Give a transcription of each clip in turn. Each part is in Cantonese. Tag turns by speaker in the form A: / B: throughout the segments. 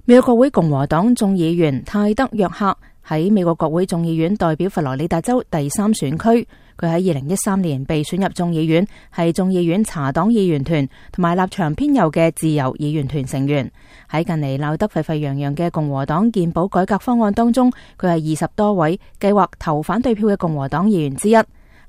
A: 美國國會共和黨眾議員泰德·約克喺美國國會眾議院代表佛羅里達州第3選區，佢喺2013年被選入眾議院，係眾議院茶黨議員團同埋立場偏右嘅自由議員團成員。喺近嚟鬧得沸沸揚揚嘅共和黨健保改革方案當中，佢係20多位計劃投反對票嘅共和黨議員之一。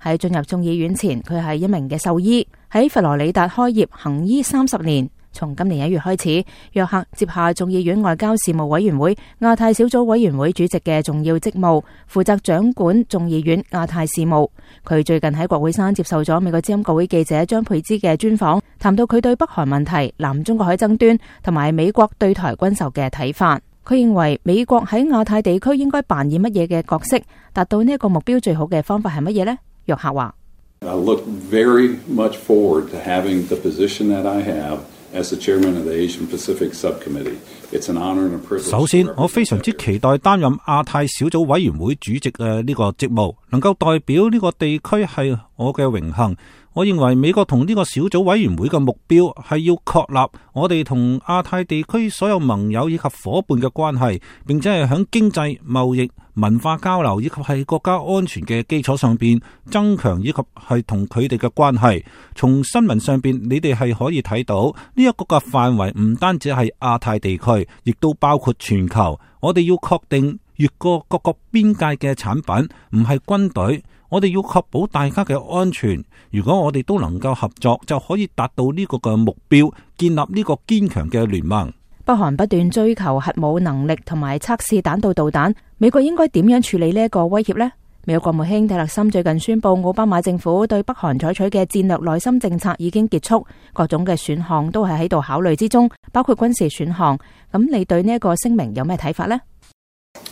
A: 喺進入眾議院前，佢係一名嘅獸醫，喺佛羅里達開業行醫30年。從今年1月開始，約克接下眾議院外交事務委員會亞太小組委員會主席嘅重要職務，負責掌管眾議院亞太事務。佢最近喺國會山接受咗美國之音國會記者張佩芝嘅專訪，談到佢對北韓問題、南中國海爭端同埋美國對台軍售嘅睇法。佢認為美國喺亞太地區應該扮演乜嘢嘅角色，達到呢一個目標最好嘅方法係乜嘢呢？約克話
B: I look very much forward to having the position that I have as the chairman of the Asian Pacific Subcommittee. It's an honor and a privilege.
C: 首先，我非常之期待擔任亞太小組委員會主席嘅呢個職務，能夠代表呢個地區係我嘅榮幸。我認為美國同呢個小組委員會嘅目標係要確立我哋同亞太地區所有盟友以及夥伴嘅關係，並且係響經濟、貿易、文化交流以及係國家安全嘅基礎上邊增強，以及係同佢哋嘅關係。從新聞上邊，你哋係可以睇到呢一個嘅範圍唔單止係亞太地區，亦都包括全球。我哋要確定越過各個邊界嘅產品唔係軍隊，我哋要確保大家嘅安全。如果我哋都能夠合作，就可以達到呢個嘅目標，建立呢個堅強嘅聯盟。
A: 北韓不斷追求核武能力同埋測試彈道導彈，美國應該點樣處理呢一個威脅呢？美國國務卿蒂勒森最近宣布，奧巴馬政府對北韓採取嘅戰略內心政策已經結束，各種嘅選項都係喺度考慮之中，包括軍事選項。咁你對呢一個聲明有咩睇法呢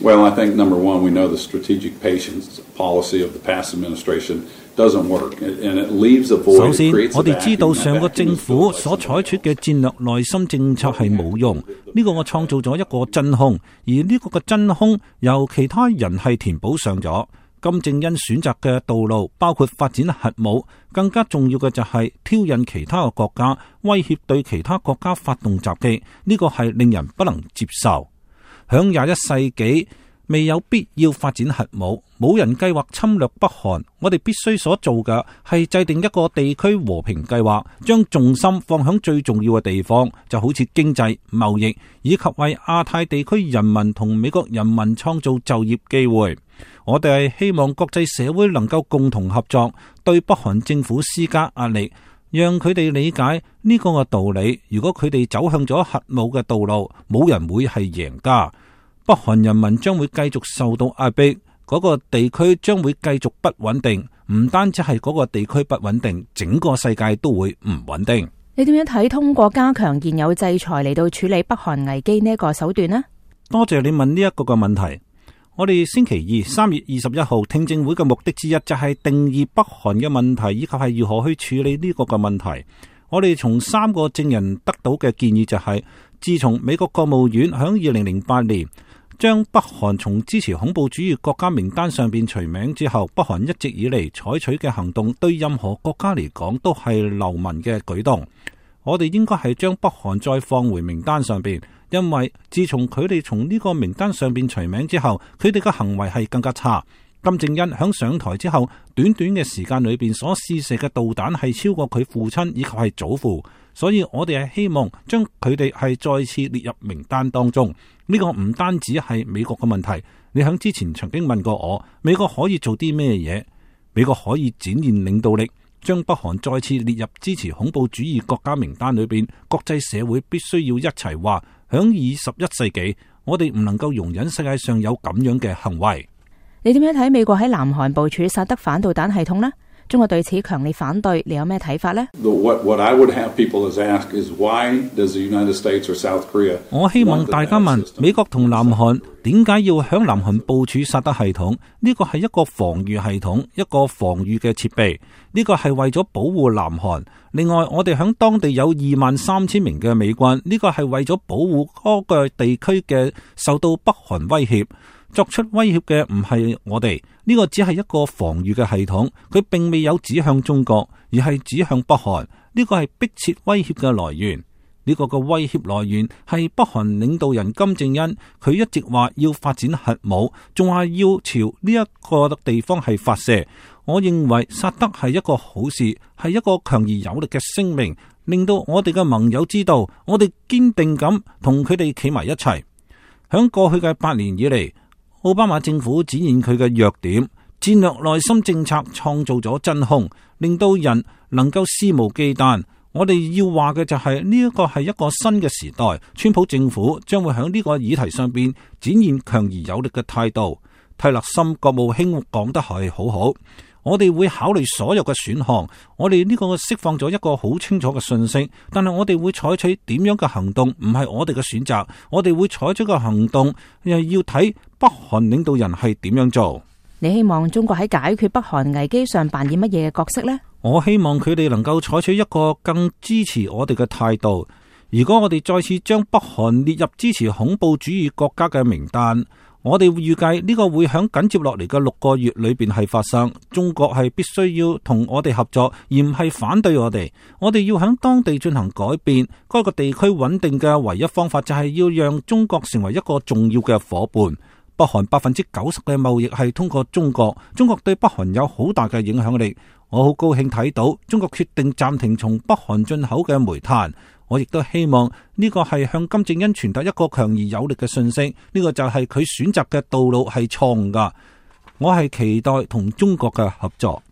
B: Well, I think number one, we know the strategic patience policy of the past administration doesn't work, and it leaves a void.
C: 首先，我哋知道上個政府所採取嘅戰略內心政策係冇用，呢個我創造咗一個真空，而呢個嘅真空由其他人係填補上咗。金正恩選擇嘅道路包括發展核武，更加重要嘅就係挑釁其他嘅國家，威脅對其他國家發動襲擊，呢個係令人不能接受。響21世紀未有必要發展核武，冇人計劃侵略北韓。我哋必須所做嘅係制定一個地區和平計劃，將重心放響最重要嘅地方，就好似經濟、貿易，以及為亞太地區人民同美國人民創造就業機會。我哋係希望國際社會能夠共同合作，對北韓政府施加壓力，讓佢哋理解呢個嘅道理。如果佢哋走向咗核武嘅道路，冇人會係贏家。北韓人民將會繼續受到壓迫，嗰個地區將會繼續不穩定。唔單止係嗰個地區不穩定，整個世界都會唔穩定。
A: 你點樣睇通過加強現有制裁嚟到處理北韓危機呢一個手段呢？
C: 多謝你問呢一個嘅問題。我哋星期二3月21號聽證會嘅目的之一就係定義北韓嘅問題，以及係如何去處理呢個嘅問題。我哋從3個證人得到嘅建議就係，自從美國國務院響2008年將北韓從支持恐怖主義國家名單上邊除名之後，北韓一直以嚟採取嘅行動對任何國家嚟講都係流氓嘅舉動。我哋應該係將北韓再放回名單上邊，因為自從佢哋從呢個名單上邊除名之後，佢哋嘅行為係更加差。金正恩響上台之後，短短嘅時間裏邊所試射嘅導彈係超過佢父親以及係祖父，所以我哋係希望將佢哋係再次列入名單當中。呢個唔單止係美國嘅問題，你響之前曾經問過我，美國可以做啲咩嘢？美國可以展現領導力，將北韓再次列入支持恐怖主義國家名單裏邊。國際社會必須要一齊話，響21世紀，我哋唔能夠容忍世界上有咁樣嘅行為。
A: 你點樣睇美國喺南韓部署薩德反導彈系統呢？中國對此強烈反對，你有咩睇法呢？
B: What I would have people ask is why does the United States or South Korea?
C: 我希望大家問美國同南韓點解要響南韓部署薩德系統？呢個係一個防禦系統，一個防禦嘅設備。呢個係為咗保護南韓。另外，我哋響當地有23,000名嘅美軍，呢個係為咗保護嗰個地區嘅受到北韓威脅。作出威脅嘅唔係我哋，呢個只係一個防禦嘅系統，佢並未有指向中國，而係指向北韓。呢個係迫切威脅嘅來源。呢個嘅威脅來源係北韓領導人金正恩，佢一直話要發展核武，仲係要朝呢一個地方係發射。我認為薩德係一個好事，係一個強而有力嘅聲明，令到我哋嘅盟友知道，我哋堅定咁同佢哋企埋一齊。響過去嘅8年以嚟，奧巴馬政府展現佢嘅弱點，戰略內心政策創造咗真空，令到人能夠肆無忌憚。我哋要話嘅就係呢一個係一個新嘅時代，川普政府將會喺呢個議題上邊展現強而有力嘅態度。蒂勒森國務卿講得係好好，我哋會考慮所有嘅選項，我哋呢個釋放咗一個好清楚嘅信息，但係我哋會採取點樣嘅行動，唔係我哋嘅選擇，我哋會採取嘅行動又要睇北韓領導人係點樣做。
A: 你希望中國喺解決北韓危機上扮演乜嘢嘅角色呢？
C: 我希望佢哋能夠採取一個更支持我哋嘅態度。如果我哋再次將北韓列入支持恐怖主義國家嘅名單，我哋預計呢個會響緊接落嚟嘅6個月裏邊係發生。中國係必須要同我哋合作，而唔係反對我哋。我哋要響當地進行改變。該個地區穩定嘅唯一方法就係要讓中國成為一個重要嘅夥伴。北韓90%嘅貿易係通過中國，中國對北韓有好大嘅影響力。我好高興睇到中國決定暫停從北韓進口嘅煤炭。我亦都希望呢個係向金正恩傳達一個強而有力嘅信息。呢個就係佢選擇嘅道路係錯誤㗎。我係期待同中國嘅合作。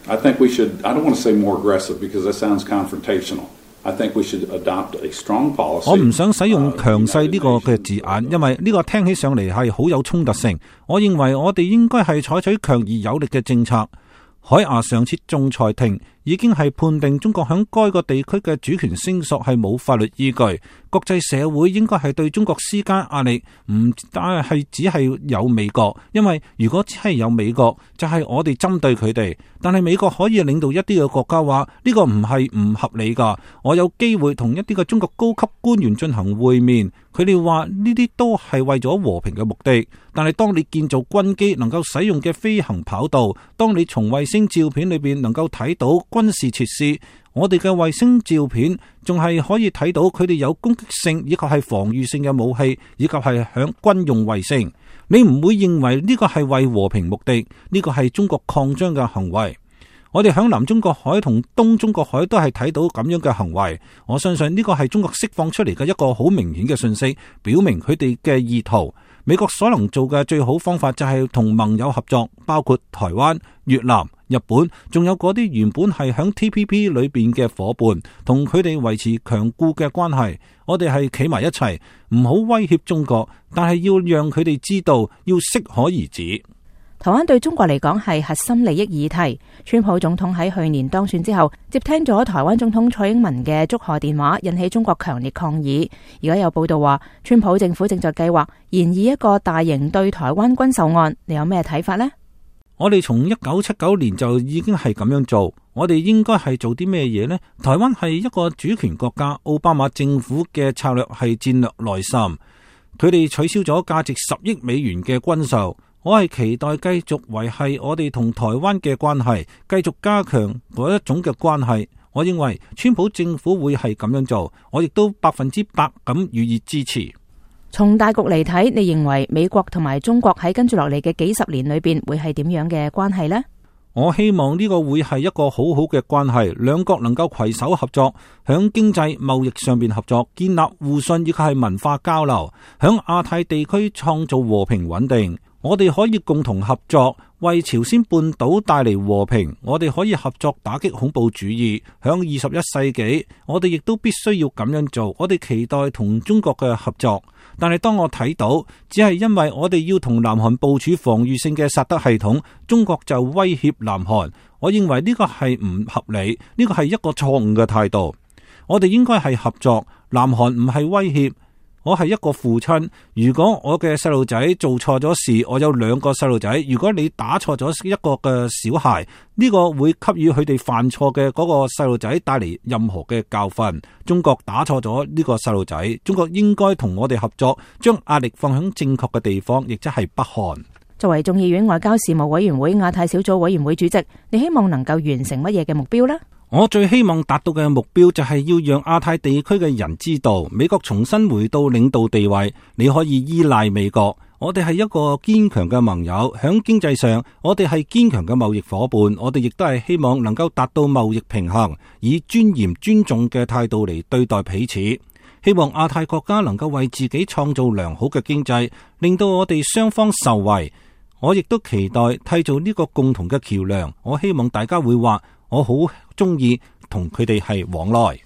B: I think we should, I don't want to say more aggressive because that sounds confrontational. I think we should adopt a strong policy.
C: 我唔想使用強勢呢個嘅字眼，因為呢個聽起上嚟係好有衝突性。我認為我哋應該係採取強而有力嘅政策。海牙上次仲裁庭已經係判定中國響該個地區嘅主權聲索係冇法律依據，國際社會應該係對中國施加壓力，唔但係只係有美國，因為如果只係有美國，就係我哋針對佢哋。但係美國可以領導一啲嘅國家話呢個唔係唔合理噶。我有機會同一啲嘅中國高級官員進行會面，佢哋話呢啲都係為咗和平嘅目的。但係當你建造軍機能夠使用嘅飛行跑道，當你從衛星照片裏邊能夠睇到軍事設施，我哋嘅衛星照片仲係可以睇到佢哋有攻擊性以及係防禦性嘅武器，以及係響軍用衛星。你唔會認為呢個係為和平目的，呢個係中國擴張嘅行為。我哋響南中國海同東中國海都係睇到咁樣嘅行為。我相信呢個係中國釋放出嚟嘅一個好明顯嘅信息，表明佢哋嘅意圖。美國所能做嘅最好方法就係同盟友合作，包括台灣、越南、日本，仲有嗰啲原本係響 TPP 裏邊嘅夥伴，同佢哋維持強固嘅關係。我哋係企埋一齊，唔好威脅中國，但係要讓佢哋知道要適可而止。
A: 台灣對中國嚟講係核心利益議題。川普總統喺去年當選之後，接聽咗台灣總統蔡英文嘅祝賀電話，引起中國強烈抗議。而家有報道話，川普政府正在計劃研議一個大型對台灣軍售案。你有咩睇法呢？
C: 我哋從1979年就已經係咁樣做，我哋應該係做啲咩嘢呢？台灣係一個主權國家，奧巴馬政府嘅策略係戰略內滲，佢哋取消咗價值10億美元嘅軍售。我係期待繼續維繫我哋同台灣嘅關係，繼續加強嗰一種嘅關係。我認為川普政府會係咁樣做，我亦都100%咁予以支持。
A: 從大局嚟睇，你認為美國同埋中國喺跟住落嚟嘅幾十年裏邊會係點樣嘅關係呢？
C: 我希望呢個會係一個好好嘅關係，兩國能夠攜手合作，響經濟貿易上邊合作，建立互信，亦係文化交流，響亞太地區創造和平穩定。我哋可以共同合作，為朝鮮半島帶嚟和平。我哋可以合作打擊恐怖主義。響21世紀，我哋亦都必須要咁樣做。我哋期待同中國嘅合作，但係當我睇到，只係因為我哋要同南韓部署防禦性嘅薩德系統，中國就威脅南韓。我認為呢個係唔合理，呢個係一個錯誤嘅態度。我哋應該係合作，南韓唔係威脅。我係一個父親，如果我嘅細路仔做錯咗事，我有2個細路仔。如果你打錯咗一個嘅小孩，呢個會給予佢哋犯錯嘅嗰個細路仔帶嚟任何嘅教訓。中國打錯咗呢個細路仔，中國應該同我哋合作，將壓力放喺正確嘅地方，亦即係北韓。
A: 作為眾議院外交事務委員會亞太小組委員會主席，你希望能夠完成乜嘢嘅目標呢？
C: 我最希望達到嘅目標就係要讓亞太地區嘅人知道，美國重新回到領導地位，你可以依賴美國。我哋係一個堅強嘅盟友，響經濟上，我哋係堅強嘅貿易夥伴，我哋亦都係希望能夠達到貿易平衡，以尊嚴尊重嘅態度嚟對待彼此。希望亞太國家能夠為自己創造良好嘅經濟，令到我哋雙方受惠。我亦都期待締造呢個共同嘅橋樑。我希望大家會話，我好中意同佢哋係往來。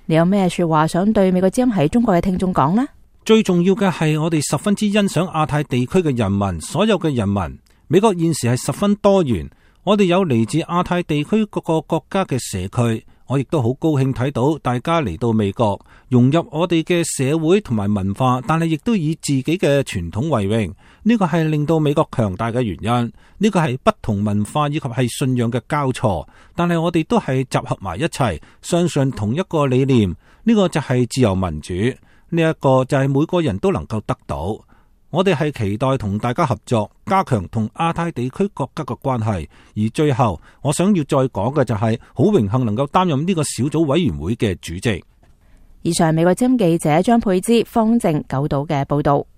A: 你有咩說話想對美國之音喺中國嘅聽眾講呢？
C: 最重要嘅係我哋十分之欣賞亞太地區嘅人民，所有嘅人民。美國現時係十分多元，我哋有嚟自亞太地區各個國家嘅社區。我亦都好高興睇到大家嚟到美國，融入我哋嘅社會同埋文化，但係亦都以自己嘅傳統為榮。呢個係令到美國強大嘅原因。呢個係不同文化以及係信仰嘅交錯，但係我哋都係集合埋一齊，相信同一個理念。呢個就係自由民主，呢一個就係每個人都能夠得到。我哋係期待同大家合作，加強同亞太地區國家嘅關係。而最後，我想要再講嘅就係好榮幸能夠擔任呢個小組委員會嘅主席。
A: 以上美國之音記者張佩芝、方正九島嘅報道。